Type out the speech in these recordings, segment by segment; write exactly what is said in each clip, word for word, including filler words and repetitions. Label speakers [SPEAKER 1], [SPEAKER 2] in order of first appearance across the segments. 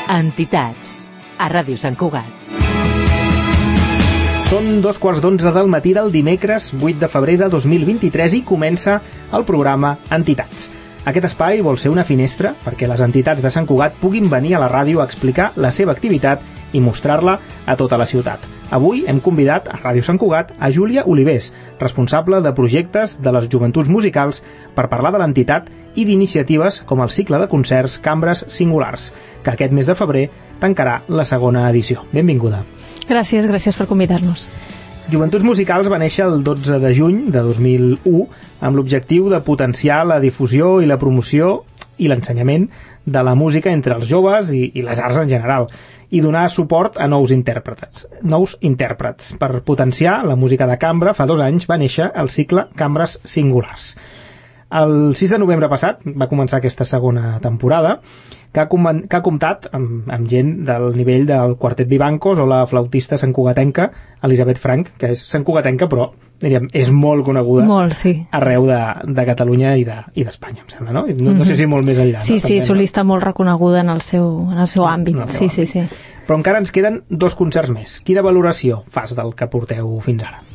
[SPEAKER 1] Entitats, a Ràdio Sant Cugat.
[SPEAKER 2] Són dos quarts d'onze del matí del dimecres vuit de febrer de dos mil vint-i-tres i comença el programa Entitats. Aquest espai vol ser una finestra perquè les entitats de Sant Cugat puguin venir a la ràdio a explicar la seva activitat i mostrar-la a tota la ciutat. Avui hem convidat a Ràdio Sant Cugat a Júlia Olivés, responsable de projectes de les joventuts musicals, per parlar de l'entitat i d'iniciatives com el cicle de concerts Cambres Singulars, que aquest mes de febrer tancarà la segona edició. Benvinguda.
[SPEAKER 3] Gràcies, gràcies per convidar-nos.
[SPEAKER 2] Joventuts Musicals va néixer el dotze de juny de dos mil u amb l'objectiu de potenciar la difusió i la promoció i l'ensenyament de la música entre els joves i, i les arts en general, i donar suport a nous intèrprets. nous intèrprets. Per potenciar la música de cambra, fa dos anys va néixer el cicle Cambres Singulars. El sis de novembre passat va començar aquesta segona temporada, que ha, com que ha comptat amb, amb gent del nivell del Quartet Vivancos o la flautista santcugatenca Elisabet Frank, que és santcugatenca però diríem, és molt coneguda
[SPEAKER 3] molt, sí.
[SPEAKER 2] arreu de, de Catalunya i d'Espanya, de, em sembla, no? No, mm-hmm. no sé si molt més enllà.
[SPEAKER 3] Sí,
[SPEAKER 2] no?
[SPEAKER 3] sí,
[SPEAKER 2] També,
[SPEAKER 3] solista molt reconeguda en el seu, en el seu àmbit.
[SPEAKER 2] No, no,
[SPEAKER 3] sí, sí, sí.
[SPEAKER 2] Però encara ens queden dos concerts més. Quina valoració fas del que porteu fins ara?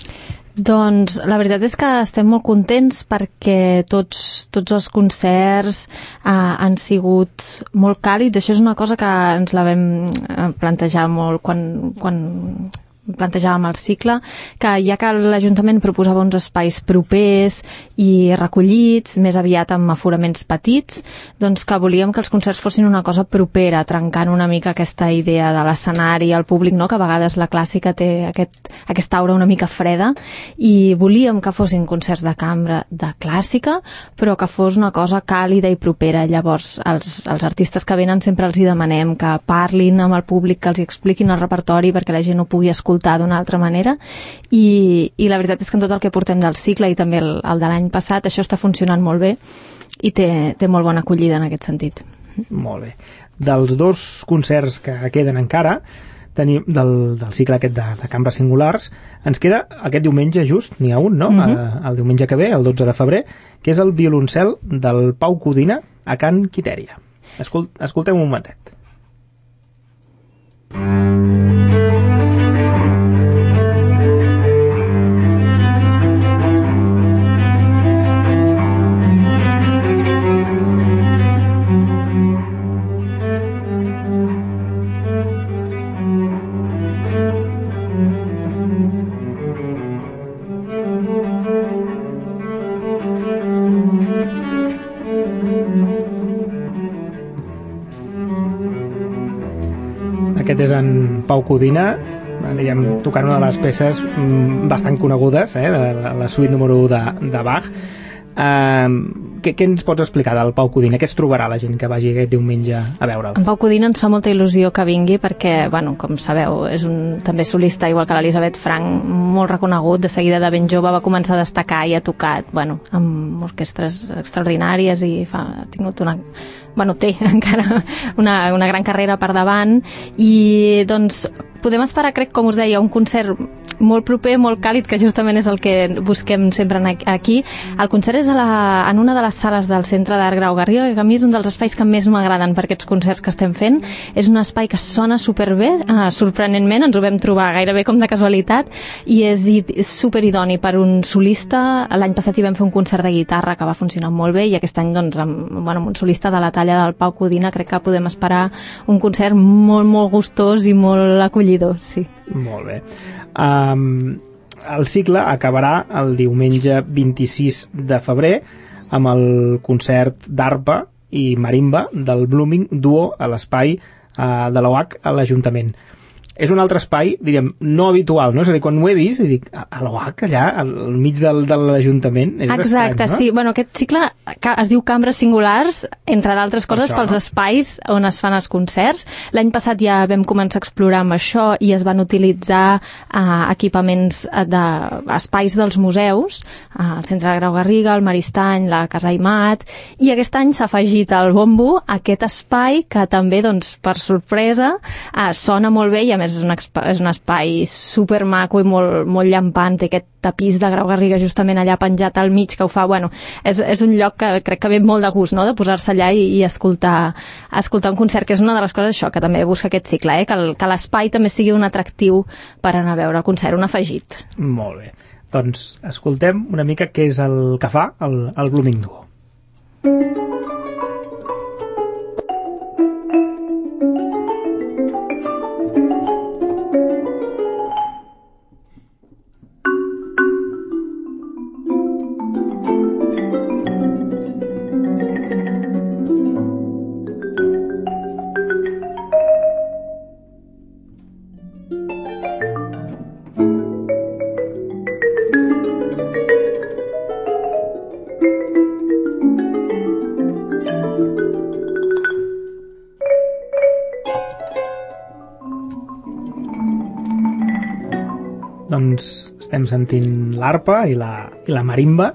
[SPEAKER 3] Doncs la veritat és que estem molt contents perquè tots, tots els concerts eh, han sigut molt càlids. Això és una cosa que ens la vam plantejar molt quan, quan plantejàvem el cicle, que ja que l'Ajuntament proposava uns espais propers i recollits, més aviat amb aforaments petits, doncs que volíem que els concerts fossin una cosa propera, trencant una mica aquesta idea de l'escenari al públic, no? Que a vegades la clàssica té aquest, aquesta aura una mica freda, i volíem que fossin concerts de cambra de clàssica, però que fos una cosa càlida i propera. Llavors, els, els artistes que venen sempre els hi demanem que parlin amb el públic, que els hi expliquin el repertori perquè la gent ho pugui escoltar d'una altra manera, i, i la veritat és que en tot el que portem del cicle i també el, el de l'any passat, això està funcionant molt bé i té, té molt bona acollida en aquest sentit.
[SPEAKER 2] Molt bé. Dels dos concerts que queden encara tenim, del, del cicle aquest de, de Cambres Singulars, ens queda aquest diumenge just, n'hi ha un, no? Mm-hmm. El diumenge que ve, el dotze de febrer, que és el violoncel del Pau Codina a Can Quitèria. Escolt, escoltem un momentet. Aquest és en Pau Codina, diríem, tocant una de les peces bastant conegudes, eh, de la, la suite número u de, de Bach. Uh, què, què ens pots explicar del Pau Codina? Què es trobarà la gent que vagi aquest diumenge a veure'l?
[SPEAKER 3] En Pau Codina ens fa molta il·lusió que vingui perquè, bueno, com sabeu, és un també solista, igual que l'Elisabet Frank, molt reconegut. De seguida, de ben jove, va començar a destacar i ha tocat, bueno, amb orquestres extraordinàries i fa, ha tingut una... bueno, té encara una, una gran carrera per davant, i doncs podem esperar, crec, com us deia, un concert molt proper, molt càlid, que justament és el que busquem sempre aquí. El concert és a la, en una de les sales del Centre d'Art Grau Garriga, que a mi és un dels espais que més m'agraden per aquests concerts que estem fent. És un espai que sona superbé, eh, sorprenentment, ens ho vam trobar gairebé com de casualitat, i és, és superidoni per un solista. L'any passat hi vam fer un concert de guitarra que va funcionar molt bé, i aquest any, doncs, amb, bueno, amb un solista de la talla del Pau Codina, crec que podem esperar un concert molt, molt gustós i molt acollidor, sí.
[SPEAKER 2] Molt bé. Um, el cicle acabarà el diumenge vint-i-sis de febrer amb el concert d'arpa i marimba del Blooming Duo a l'espai uh, de l'O H a l'Ajuntament. És un altre espai, diríem, no habitual, no? És a dir, quan ho he vist, dic, a l'O H, allà, al mig del, de l'Ajuntament, és
[SPEAKER 3] exacte,
[SPEAKER 2] estrany, no?
[SPEAKER 3] Sí. Bueno, aquest cicle es diu Cambres Singulars, entre d'altres coses,
[SPEAKER 2] això,
[SPEAKER 3] pels
[SPEAKER 2] no?
[SPEAKER 3] espais on es fan els concerts. L'any passat ja vam començar a explorar amb això i es van utilitzar uh, equipaments d'espais de, dels museus, uh, el Centre de Grau Garriga, el Maristany, la Casa Aimat, i aquest any s'ha afegit al bombo aquest espai que també, doncs, per sorpresa, uh, sona molt bé, i a més és un, és un espai supermaco i molt, molt llampant, té aquest tapís de Grau Garriga justament allà penjat al mig que ho fa, bueno, és, és un lloc que crec que ve molt de gust, no?, de posar-se allà i, i escoltar, escoltar un concert, que és una de les coses això, que també busca aquest cicle, eh? que, el, que l'espai també sigui un atractiu per anar a veure el concert, un afegit.
[SPEAKER 2] Molt bé. Doncs escoltem una mica què és el que fa el, el Blooming Duo. Doncs estem sentint l'arpa i la, i la marimba.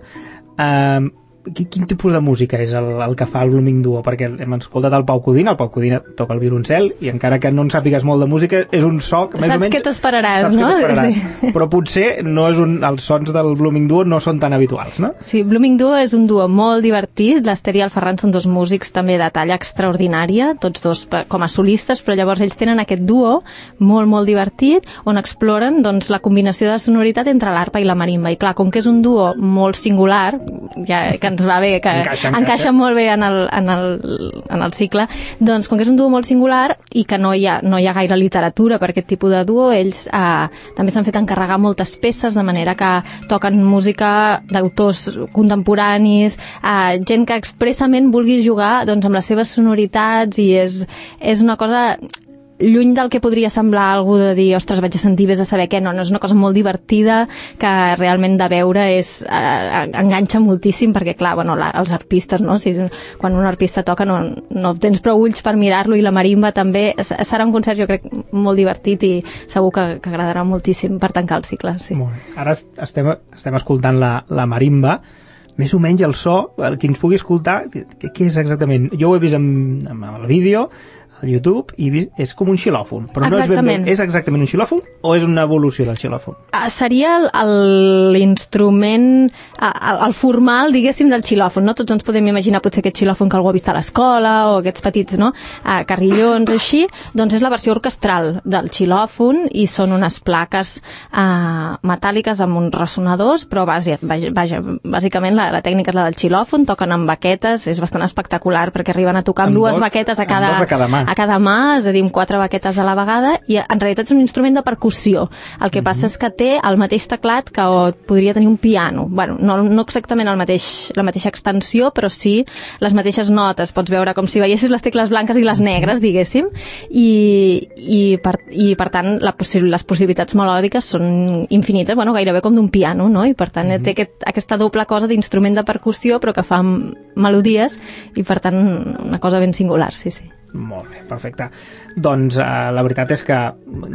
[SPEAKER 2] Eh, quin, quin tipus de música és el, el que fa el Blooming Duo? Perquè hem escoltat el Pau Codina, el Pau Codina toca el violoncel i encara que no en sàpigues molt de música és un so que més
[SPEAKER 3] saps
[SPEAKER 2] o menys...
[SPEAKER 3] què t'esperaràs,
[SPEAKER 2] saps
[SPEAKER 3] no?
[SPEAKER 2] Què t'esperaràs.
[SPEAKER 3] Sí.
[SPEAKER 2] Però potser no és un, els sons del Blooming Duo no són tan habituals, no?
[SPEAKER 3] Sí, Blooming Duo és un duo molt divertit. L'Ester i el Ferran són dos músics també de talla extraordinària, tots dos com a solistes, però llavors ells tenen aquest duo molt, molt divertit on exploren doncs, la combinació de sonoritat entre l'arpa i la marimba. I clar, com que és un duo molt singular, ja que ens va bé, que encaixa, encaixa. encaixa molt bé en el, en, el, en el cicle, doncs com que és un duo molt singular i que no hi ha, no hi ha gaire literatura per aquest tipus de duo, ells eh, també s'han fet encarregar moltes peces, de manera que toquen música d'autors contemporanis, eh, gent que expressament vulgui jugar doncs, amb les seves sonoritats, i és, és una cosa lluny del que podria semblar algú de dir, ostres, vaig a sentir, vés a saber què. No, no, és una cosa molt divertida que realment de veure és, eh, enganxa moltíssim, perquè clar, bueno, la, els arpistes, no? Si, quan un arpista toca no, no tens prou ulls per mirar-lo, i la marimba també. Serà un concert, jo crec, molt divertit i segur que, que agradarà moltíssim per tancar el cicle. Sí.
[SPEAKER 2] Molt bé. Ara estem, estem escoltant la, la marimba. Més o menys el so, el que ens pugui escoltar, què, què és exactament? Jo ho he vist en, en el vídeo, al YouTube, i és com un xilòfon, però no és ben bé, és exactament un xilòfon o és una evolució del xilòfon?
[SPEAKER 3] Uh, seria l'instrument, uh, el formal, diguéssim, del xilòfon, no? Tots ens podem imaginar potser aquest xilòfon que algú ha vist a l'escola, o aquests petits, no?, uh, carrillons, així, doncs és la versió orquestral del xilòfon, i són unes plaques uh, metàl·liques amb uns ressonadors, però vaja, vaja, bàsicament la, la tècnica és la del xilòfon, toquen amb baquetes, és bastant espectacular, perquè arriben a tocar amb, amb dues dos, baquetes a cada,
[SPEAKER 2] a cada mà.
[SPEAKER 3] a cada mà, és a dir, amb quatre baquetes a la vegada, i en realitat és un instrument de percussió. El que mm-hmm. passa és que té el mateix teclat que podria tenir un piano. Bueno, no, no exactament el mateix, la mateixa extensió, però sí les mateixes notes. Pots veure com si veiessis les tecles blanques i les negres, diguéssim, i, i, per, i per tant la possi les possibilitats melòdiques són infinites, bueno, gairebé com d'un piano, no? I per tant mm-hmm. té aquest, aquesta doble cosa d'instrument de percussió, però que fa melodies, i per tant una cosa ben singular, sí, sí.
[SPEAKER 2] Molt bé, perfecte. Doncs eh, la veritat és que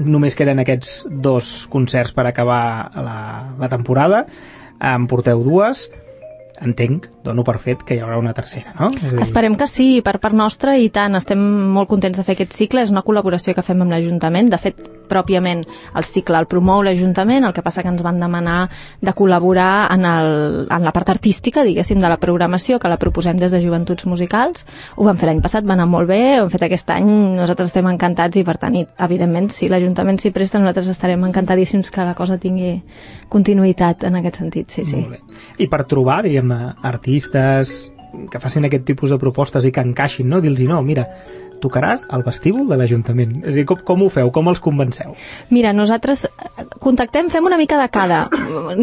[SPEAKER 2] només queden aquests dos concerts per acabar la, la temporada. En porteu dues. Entenc, dono per fet que hi haurà una tercera, no? És a dir...
[SPEAKER 3] Esperem que sí, per part nostra, i tant, estem molt contents de fer aquest cicle. És una col·laboració que fem amb l'Ajuntament. De fet, pròpiament el cicle el promou l'Ajuntament, el que passa que ens van demanar de col·laborar en, el, en la part artística, diguéssim, de la programació, que la proposem des de Joventuts Musicals. Ho vam fer l'any passat, va anar molt bé, ho hem fet aquest any, nosaltres estem encantats, i per tant, i, evidentment, si l'Ajuntament s'hi presta, nosaltres estarem encantadíssims que la cosa tingui continuïtat en aquest sentit, sí, sí.
[SPEAKER 2] Molt bé. I per trobar, diríem, artistes que facin aquest tipus de propostes i que encaixin, no? Dir-los, no, mira, tocaràs al vestíbul de l'Ajuntament. És a dir, com, com ho feu? Com els convenceu?
[SPEAKER 3] Mira, nosaltres contactem, fem una mica de cada.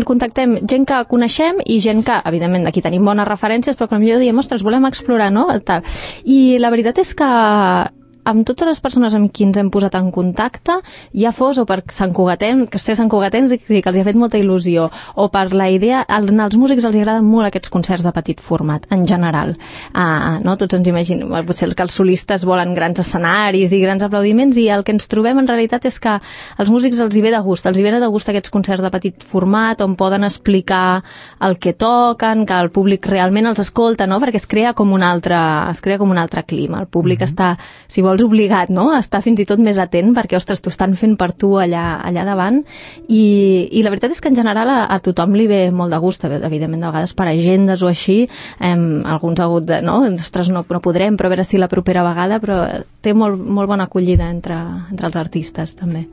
[SPEAKER 3] Contactem gent que coneixem i gent que, evidentment, d'aquí tenim bones referències, però que potser diem, ostres, volem explorar, no? Tal. I la veritat és que amb totes les persones amb qui ens hem posat en contacte, ja fos o per Sant Cugatencs, que ser Sant Cugatencs i que els hi ha fet molta il·lusió, o per la idea, als, als músics els agraden molt aquests concerts de petit format, en general. Uh, no? Tots ens imaginem, potser que els solistes volen grans escenaris i grans aplaudiments, i el que ens trobem en realitat és que als músics els hi ve de gust, els hi ve de gust aquests concerts de petit format, on poden explicar el que toquen, que el públic realment els escolta, no? Perquè es crea com un altre, es crea com un altre clima. El públic mm-hmm. està, si vol vols obligat, no?, a estar fins i tot més atent perquè, ostres, t'ho estan fent per tu allà, allà davant, i, i la veritat és que en general a, a tothom li ve molt de gust, evidentment de vegades per agendes o així, eh, alguns ha hagut de, no?, ostres, no, no podrem, però a veure si la propera vegada, però té molt, molt bona acollida entre, entre els artistes també.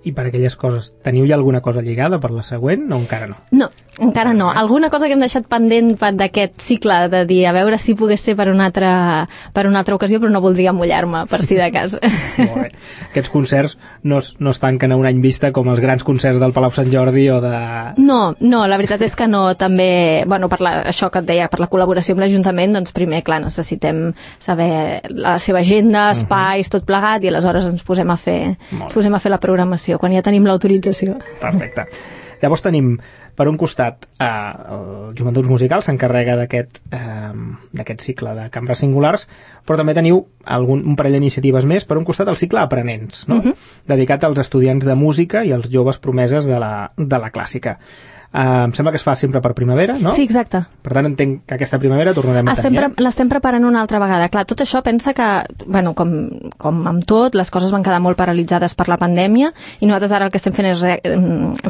[SPEAKER 2] I per aquelles coses, teniu ja alguna cosa lligada per la següent o encara no?
[SPEAKER 3] No, encara no. Alguna cosa que hem deixat pendent d'aquest cicle, de dir, a veure si pogués ser per una altra, per una altra ocasió, però no voldria mullar-me, per si de cas.
[SPEAKER 2] Molt bé. Aquests concerts no es, no es tanquen a un any vista com els grans concerts del Palau Sant Jordi o de...
[SPEAKER 3] No, no, la veritat és que no. També, bueno, per la, això que et deia, per la col·laboració amb l'Ajuntament, doncs primer, clar, necessitem saber la seva agenda, espais, uh-huh. tot plegat, i aleshores ens posem a fer, ens posem a fer la programació quan ja tenim l'autorització.
[SPEAKER 2] Perfecte. Llavors tenim, per un costat, eh, el Joventuts Musicals s'encarrega d'aquest eh, d'aquest cicle de cambres singulars, però també teniu algun, un parell d'iniciatives més. Per un costat, el cicle Aprenents, no? Uh-huh. dedicat als estudiants de música i als joves promeses de la, de la clàssica. Uh, em sembla que es fa sempre per primavera, no?
[SPEAKER 3] Sí, exacte.
[SPEAKER 2] Per tant, entenc que aquesta primavera tornarem a
[SPEAKER 3] Estem
[SPEAKER 2] tenir.
[SPEAKER 3] Pre- l'estem preparant una altra vegada. Clar, tot això pensa que, bueno, com, com amb tot, les coses van quedar molt paralitzades per la pandèmia i nosaltres ara el que estem fent és re,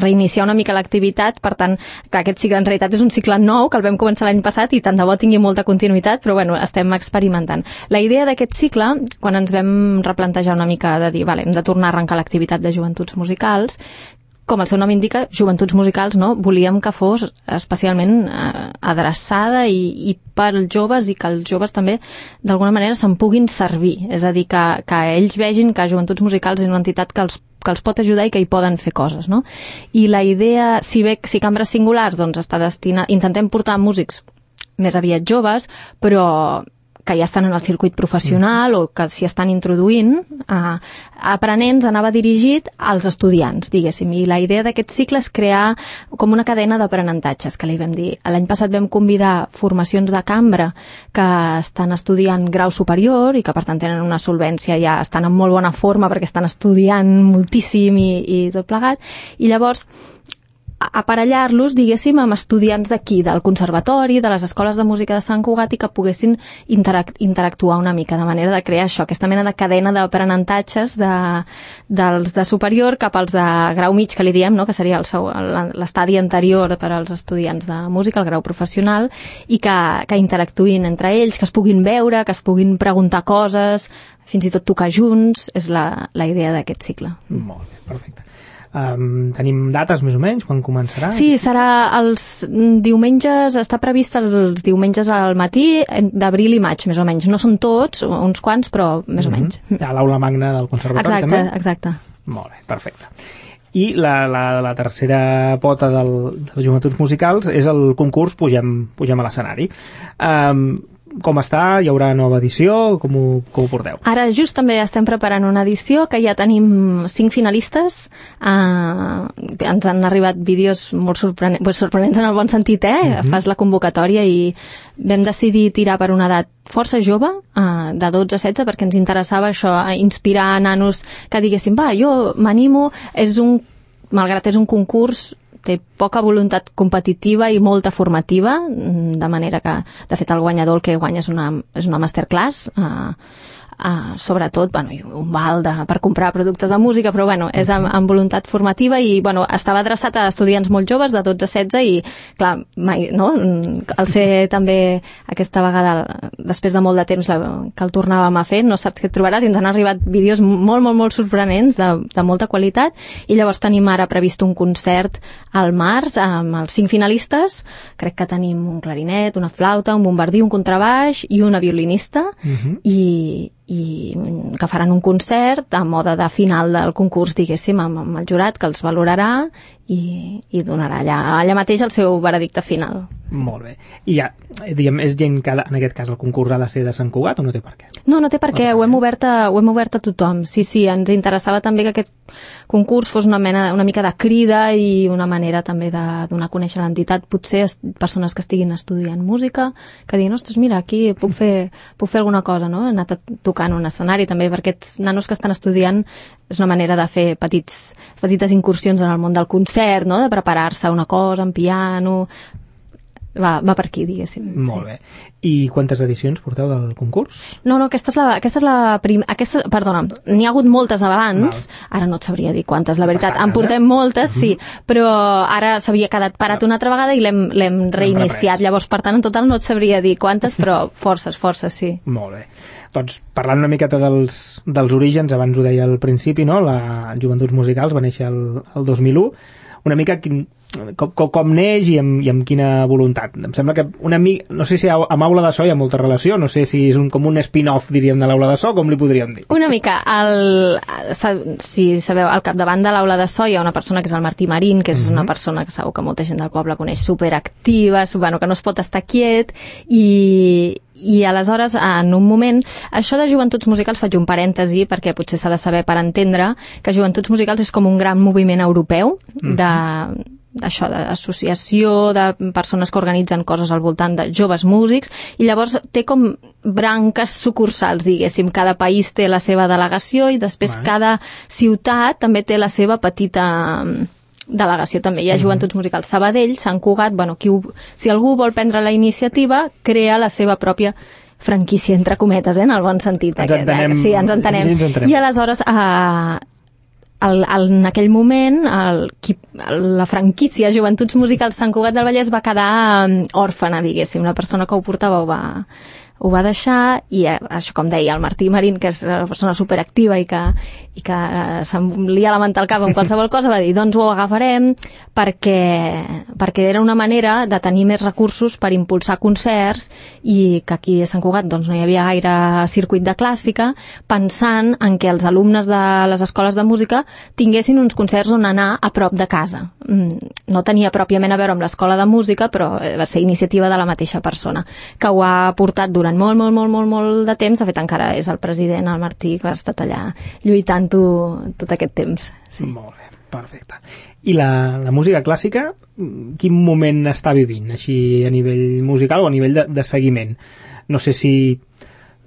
[SPEAKER 3] reiniciar una mica l'activitat. Per tant, clar, aquest cicle en realitat és un cicle nou que el vam començar l'any passat i tant de bo tingui molta continuïtat, però bueno, estem experimentant. La idea d'aquest cicle, quan ens vam replantejar una mica de dir, vale, hem de tornar a arrencar l'activitat de Joventuts Musicals, com el seu nom indica, Joventuts Musicals, no? Volíem que fos especialment eh, adreçada i, i per als joves i que els joves també d'alguna manera se'n puguin servir. És a dir, que, que ells vegin que Joventuts Musicals és una entitat que els, que els pot ajudar i que hi poden fer coses, no? I la idea, si bé si cambres singulars, doncs està destinat, intentem portar músics més aviat joves, però que ja estan en el circuit professional mm. o que s'hi estan introduint, eh, Aprenents anava dirigit als estudiants, diguéssim, i la idea d'aquest cicle és crear com una cadena d'aprenentatges, que li vam dir. L'any passat vam convidar formacions de cambra que estan estudiant grau superior i que per tant tenen una solvència, ja estan en molt bona forma perquè estan estudiant moltíssim i, i tot plegat, i llavors aparellar-los, diguéssim, amb estudiants d'aquí, del conservatori, de les escoles de música de Sant Cugat, i que poguessin interac- interactuar una mica, de manera de crear això, aquesta mena de cadena d'aprenentatges de, dels de superior cap als de grau mig, que li diem, no? Que seria el seu, l'estadi anterior per als estudiants de música, el grau professional, i que, que interactuïn entre ells, que es puguin veure, que es puguin preguntar coses, fins i tot tocar junts, és la, la idea d'aquest cicle.
[SPEAKER 2] Molt bé, perfecte. Um, tenim dates més o menys, quan començarà?
[SPEAKER 3] Sí, serà els diumenges, està previst els diumenges al matí d'abril i maig, més o menys. No són tots, uns quants, però més mm-hmm. o menys.
[SPEAKER 2] A l'aula magna del conservatori,
[SPEAKER 3] exacte,
[SPEAKER 2] també?
[SPEAKER 3] Exacte,
[SPEAKER 2] Molt bé, perfecte. I la, la, la tercera pota del, dels Joventuts Musicals és el concurs Pugem, Pugem a l'escenari. Um, com està? Hi haurà nova edició? Com ho, com ho porteu?
[SPEAKER 3] Ara just també estem preparant una edició que ja tenim cinc finalistes. Uh, ens han arribat vídeos molt sorprenents, sorprenents en el bon sentit, eh? Uh-huh. Fas la convocatòria i vam decidir tirar per una edat força jove, uh, de dotze a setze, perquè ens interessava això, inspirar nanos que diguessin, va, jo m'animo, és un, malgrat és un concurs, té poca voluntat competitiva i molta formativa, de manera que, de fet, el guanyador el que guanya és una, és una masterclass, eh, Uh, sobretot, bueno, un val de, per comprar productes de música, però bueno, és amb, amb voluntat formativa i bueno, estava adreçat a estudiants molt joves de dotze a setze i clar, mai, no? El ser també aquesta vegada, després de molt de temps la, que el tornàvem a fer, no saps què et trobaràs, i ens han arribat vídeos molt, molt, molt sorprenents de, de molta qualitat, i llavors tenim ara previst un concert al març amb els cinc finalistes. Crec que tenim un clarinet, una flauta, un bombardí, un contrabaix i una violinista, uh-huh. i i que faran un concert a mode de final del concurs, diguéssim, amb, amb el jurat que els valorarà i, i donarà allà, allà mateix el seu veredicte final.
[SPEAKER 2] Molt bé. I ja, diguem, és gent que en aquest cas el concurs ha de ser de Sant Cugat o no té per què?
[SPEAKER 3] No, no té per què, no ho hem obert a, ho hem obert a tothom. Sí, sí, ens interessava també que aquest concurs fos una mena, una mica de crida i una manera també de donar a conèixer l'entitat, potser persones que estiguin estudiant música, que diguin, ostres, mira, aquí puc fer, puc fer alguna cosa, no? He anat a tocar en un escenari, també per aquests nanos que estan estudiant és una manera de fer petits, petites incursions en el món del concert, no? De preparar-se una cosa en piano. va, va per aquí, diguéssim.
[SPEAKER 2] Molt
[SPEAKER 3] sí.
[SPEAKER 2] bé. I quantes edicions porteu del concurs?
[SPEAKER 3] No, no, aquesta és la, aquesta és la prim... aquesta, perdona, n'hi ha hagut moltes abans, Val. Ara no et sabria dir quantes, la veritat, Bastant, en portem eh? moltes, uh-huh. sí, però ara s'havia quedat parat una altra vegada i l'hem, l'hem reiniciat, llavors, per tant, en total no et sabria dir quantes, però forces, forces, sí.
[SPEAKER 2] Molt bé. Doncs parlant una miqueta dels, dels orígens, abans ho deia al principi, no? La Joventuts Musicals va néixer el, el dos mil u, una mica quin, com, com, com neix i amb, i amb quina voluntat. Em sembla que una mica, no sé si amb Aula de So hi ha molta relació, no sé si és un, com un spin-off, diríem, de l'Aula de So, com li podríem dir?
[SPEAKER 3] Una mica. El, si sabeu, al capdavant de l'Aula de So hi ha una persona que és el Martí Marín, que és uh-huh. una persona que segur que molta gent del poble coneix, superactiva, bueno, que no es pot estar quiet, i i aleshores, en un moment, això de Joventuts Musicals, faig un parèntesi perquè potser s'ha de saber per entendre que Joventuts Musicals és com un gran moviment europeu de, això, d'associació de persones que organitzen coses al voltant de joves músics, i llavors té com branques sucursals, diguéssim, cada país té la seva delegació i després Vai. cada ciutat també té la seva petita delegació també. Hi ha Joventuts Musicals Sabadell, Sant Cugat, bueno, qui ho, si algú vol prendre la iniciativa, crea la seva pròpia franquícia, entre cometes, eh, en el bon sentit.
[SPEAKER 2] Ens entenem.
[SPEAKER 3] Sí, ens entenem. Sí, ens entenem. I aleshores, eh, el, el, en aquell moment, el, qui, la franquícia Joventuts Musicals Sant Cugat del Vallès va quedar um, òrfana, diguéssim. La persona que ho portava ho va... ho va deixar, i eh, això, com deia el Martí Marín, que és una persona superactiva i que, i que eh, se'm lia la ment al cap amb qualsevol cosa, va dir, doncs ho agafarem perquè, perquè era una manera de tenir més recursos per impulsar concerts, i que aquí a Sant Cugat doncs, no hi havia gaire circuit de clàssica, pensant en què els alumnes de les escoles de música tinguessin uns concerts on anar a prop de casa. No tenia pròpiament a veure amb l'escola de música, però va ser iniciativa de la mateixa persona, que ho ha portat durant molt, molt, molt, molt, molt de temps. De fet, encara és el president, el Martí, que ha estat allà lluitant-ho tot aquest temps. Sí.
[SPEAKER 2] Molt bé, perfecte. I la, la música clàssica, quin moment està vivint, així a nivell musical o a nivell de, de seguiment? No sé si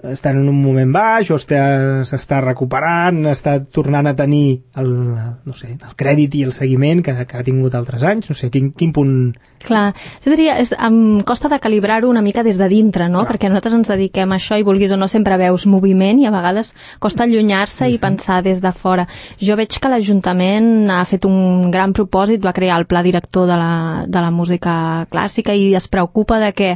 [SPEAKER 2] està en un moment baix o s'està recuperant, està tornant a tenir el, no sé, el crèdit i el seguiment que, que ha tingut altres anys, no sé, quin, quin punt...
[SPEAKER 3] Clar, jo diria, és, em costa de calibrar-ho una mica des de dintre, no? Clar. Perquè nosaltres ens dediquem a això i vulguis o no sempre veus moviment i a vegades costa allunyar-se uh-huh. i pensar des de fora. Jo veig que l'Ajuntament ha fet un gran propòsit, va crear el pla director de la, de la música clàssica i es preocupa de que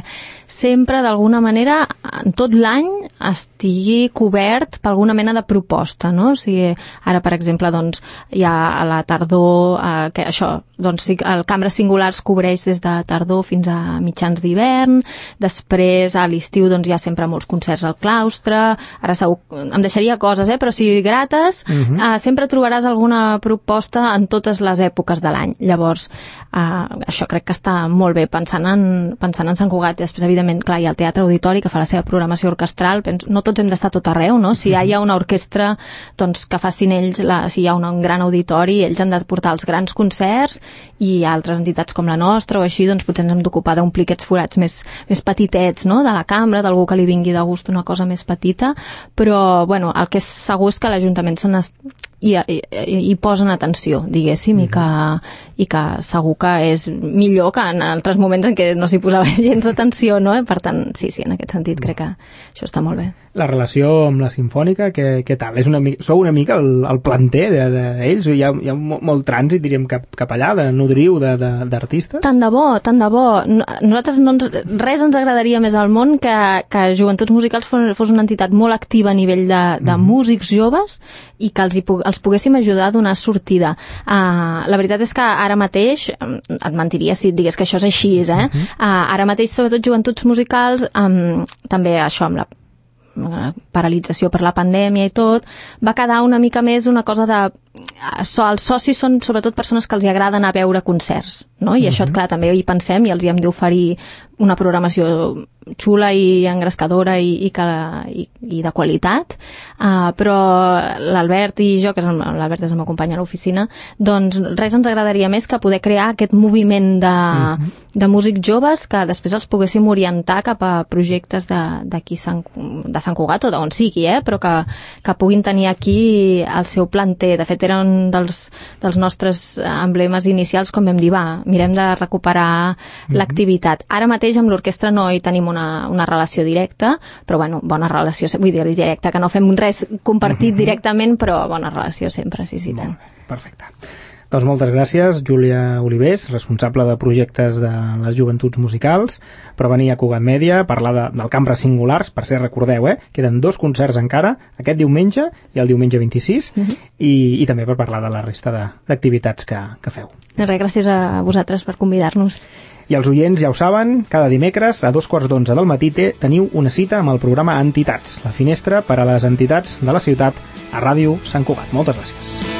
[SPEAKER 3] sempre d'alguna manera en tot l'any estigui cobert per alguna mena de proposta, no? O sigui, ara, per exemple, doncs, hi ha a la tardor, eh, que això, doncs, el Cambres Singulars cobreix des de tardor fins a mitjans d'hivern, després a l'estiu doncs, hi ha sempre molts concerts al claustre, ara segur, em deixaria coses, eh? Però si grates, uh-huh. eh, sempre trobaràs alguna proposta en totes les èpoques de l'any. Llavors, eh, això crec que està molt bé, pensant en, pensant en Sant Cugat, i després, evidentment, clar, hi ha el Teatre Auditori, que fa la seva programació orquestral, no tots hem d'estar tot arreu, no? Si hi ha una orquestra, doncs que facin ells, la, si hi ha un, un gran auditori, ells han de portar els grans concerts, i altres entitats com la nostra o així, doncs potser ens hem d'ocupar d'omplir aquests forats més, més petitets, no? De la cambra, d'algú que li vingui de gust una cosa més petita, però, bueno, el que és segur és que l'Ajuntament se n'es... i, i, i posen atenció, diguéssim, mm-hmm. i, que, i que segur que és millor que en altres moments en què no s'hi posava gens d'atenció, no? Per tant, sí, sí, en aquest sentit crec que això està molt bé.
[SPEAKER 2] La relació amb la Simfònica, què, què tal? És una mica, sou una mica el, el planter d'ells? De, de hi, ha, hi ha molt trànsit, diríem, cap, cap allà, de nodriu d'artistes?
[SPEAKER 3] Tant de bo, tant de bo. Nosaltres no ens, res ens agradaria més al món que, que Joventuts Musicals fos, fos una entitat molt activa a nivell de, de mm. músics joves i que els, hi, els poguéssim ajudar a donar sortida. Uh, la veritat és que ara mateix, et mentiria si et digués que això és així, eh? Mm-hmm. Uh, ara mateix, sobretot Joventuts Musicals, um, també això amb la paralització per la pandèmia i tot, va quedar una mica més una cosa de... Els socis són sobretot persones que els hi agrada anar a veure concerts, no? I uh-huh. això, clar, també hi pensem i els hi hem d'oferir una programació xula i engrescadora i, i, que, i, i de qualitat, uh, però l'Albert i jo, que l'Albert és el meu company a l'oficina, doncs res ens agradaria més que poder crear aquest moviment de, uh-huh. de músics joves que després els poguéssim orientar cap a projectes d'aquí de Sant Cugat o d'on sigui, eh? Però que, que puguin tenir aquí el seu planter. De fet, eren un dels, dels nostres emblemes inicials, com vam dir, va, mirem de recuperar mm-hmm. l'activitat. Ara mateix amb l'orquestra no hi tenim una, una relació directa, però bueno, bona relació, vull dir directa, que no fem res compartit mm-hmm. directament, però bona relació sempre, sí, sí, tant.
[SPEAKER 2] Perfecte. Doncs moltes gràcies, Júlia Olivés, responsable de projectes de les joventuts musicals, per venir a Cugat Mèdia a parlar de, del Cambra Singulars. Per ser, recordeu, eh, queden dos concerts encara, aquest diumenge i el diumenge vint-i-sis, uh-huh. i, i també per parlar de la resta d'activitats que, que feu.
[SPEAKER 3] Res, gràcies a vosaltres per convidar-nos.
[SPEAKER 2] I els oients ja ho saben, cada dimecres a dos quarts d'onze del matí teniu una cita amb el programa Entitats, la finestra per a les entitats de la ciutat a Ràdio Sant Cugat. Moltes gràcies.